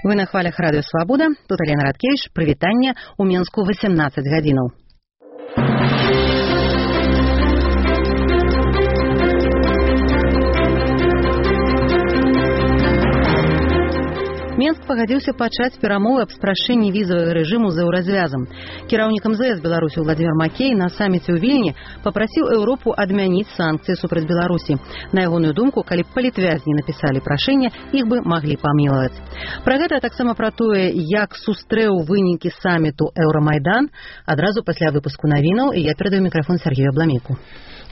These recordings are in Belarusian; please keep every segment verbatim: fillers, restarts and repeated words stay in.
Вы на хвалях радыё Свабода. Тут Алена Радкевич. Прывітанне у Менску восемнадцаць гадзінаў. Менск пагадзіўся пачаць перамовы аб спрашчэнні візавага рэжыму з еўразвязам. Кіраўнік эм зэ эс Беларусі Владзімір Макей на саміце ў Вільні папрасіў Еўропу адмяніць санкцыі супраць Беларусі. На ягоную думку, калі б палітвязні напісалі прашэнне, іх бы маглі памілаваць. Пра гэта, таксама пра тое, як сустрэў вынікі саміту Еўрамайдан, адразу пасля выпуску навінаў, і я перадаю мікрафон Сергею Абламейку.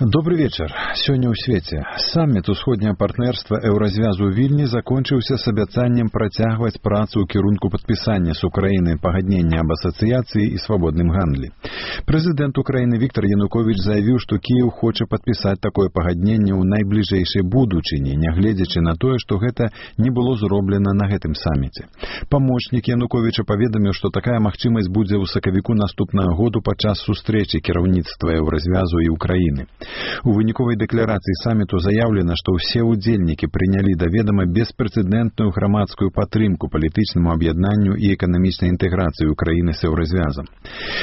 Добрый вечер. Сёння ў свеце. Самміт усходняга партнерства Еўразвязу ў Вільні закончыўся з абяцаннем працягваць працу ў кірунку падпісання з Украінай пагаднення аб асацыяцыі і свабодным гандлі. Прэзідэнт Украіны Віктор Януковіч заявіў, што Кіеў хоча падпісаць такое пагадненне ў найбліжэйшай будучыні, нягледзячы на тое, што гэта не было зроблена на гэтым самміце. Памочнік Януковіча паведаміў, што такая магчымасць будзе ў сакавіку наступнага году падчас сустрэчы кіраўніцтва Еўразвязу і Украіны. У выніковай дэкларацыі саміту заяўлена, што ўсе ўдзельнікі прынялі да ведама беспрэцэдэнтную грамадскую падтрымку палітычнаму аб'яднанню і эканамічнай інтэграцыі Украіны з Еўразвязам.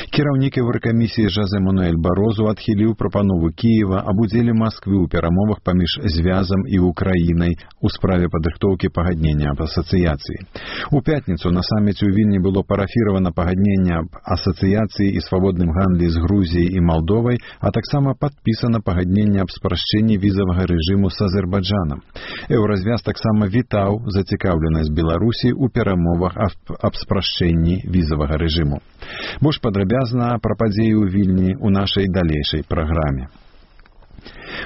Кіраўнік Еўракамісіі Жозе Мануэль Барозу адхіліў прапанову Кіева аб удзеле Масквы ў перамовах паміж звязам і Украінай у справе падрыхтоўкі пагаднення аб асацыяцыі. У пятніцу на саміце ў Вільні было парафіравана пагадненне аб асацыяцыі і свабодным гандлі з Грузіяй і Малдовай, а таксама падпісана пагадненне аб спрашчэнні візавага рэжыму з Азербайджанам. Еўразвяз таксама вітаў зацікаўленасць Беларусі ў перамовах аб спрашчэнні візавага рэжыму. Больш падрабязна пра падзеі ў Вільні ў нашай далейшай праграме.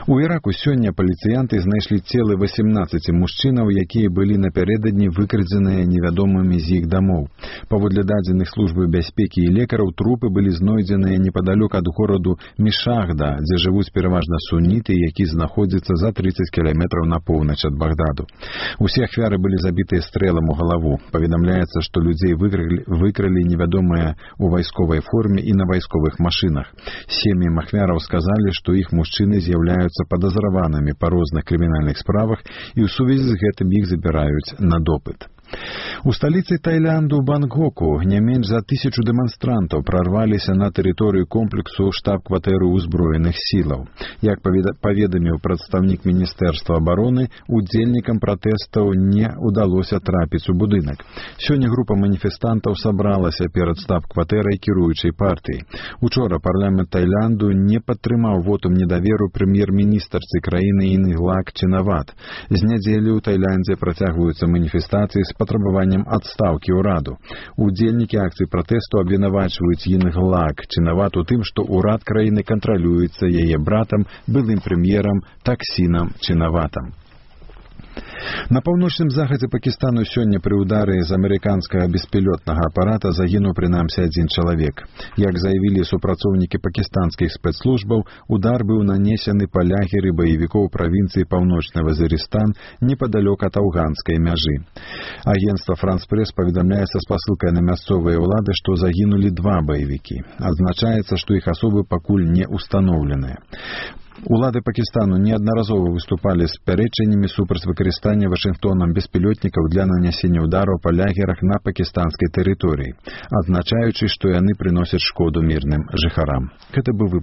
У Іраку сёння паліцыянты знайшлі целы васемнаццаці мужчынаў, якія былі напярэдадні выкрадзеныя невядомымі з іх дамоў. Паводле дадзеных службы бяспекі і лекараў, трупы былі знойдзеныя непадалёк ад гораду Мішахда, дзе жывуць пераважна суніты, які знаходзіцца за трыццаць кіламетраў на поўнач ад Багдаду. Усе ахвяры былі забітыя стрэлам у галаву. Паведамляецца, што людзей выкралі, выкралі невядомыя ў вайсковай форме і на вайсковых машынах. Сем'ям ахвяраў сказалі, што іх мужчыны з'яўляюцца падазраванымі па розных крымінальных справах і ў сувязі з гэтым іх забіраюць на допыт. У сталіцы Таіланду Бангкоку не менш за тысячу дэманстрантаў прарваліся на тэрыторыю комплексу штаб-кватэры ўзброеных сілаў. Як паведаміў прадстаўнік Міністэрства абароны, удзельнікам пратэстаў не ўдалося трапіць у будынак. Сёння група маніфестантаў сабралася перад штаб-кватэрай кіруючай партыі. Учора парламент Таіланду не падтрымаў вотум недаверу прэм'ер-міністрцы краіны Інглак Чинават. З нядзелі ў Таіландзе працягваюцца маніфестацыі з патрабаваннем адстаўкі ўраду. Удзельнікі акцыі пратэсту абвінавачваюць Інглак Чинават у тым, што ўрад краіны кантралюецца яе братам, былым прэм'ерам Таксінам Чинаватам. На паўночным захадзе Пакістану сёння пры ўдары з амерыканскага беспілётнага апарата загінуў прынамсі адзін чалавек. Як заявілі супрацоўнікі пакістанскіх спецслужбаў, удар быў нанесены па лагеры баевікоў правінцыі Паўночны Вазірыстан непадалёк ад афганскай мяжы. Агенцтва Франс-Прэс паведамляе са спасылкай на мясцовыя ўлады, што загінулі два баевікі. Адзначаецца, што іх асобы пакуль не ўстаноўленыя. Улады Пакістану неаднаразова выступалі з пярэчаннямі супраць выкарыстання Вашынгтонам беспілётнікаў для нанясення ўдараў па лагерах на пакістанскай тэрыторыі, адзначаючы, што яны прыносяць шкоду мірным жыхарам. Гэта быў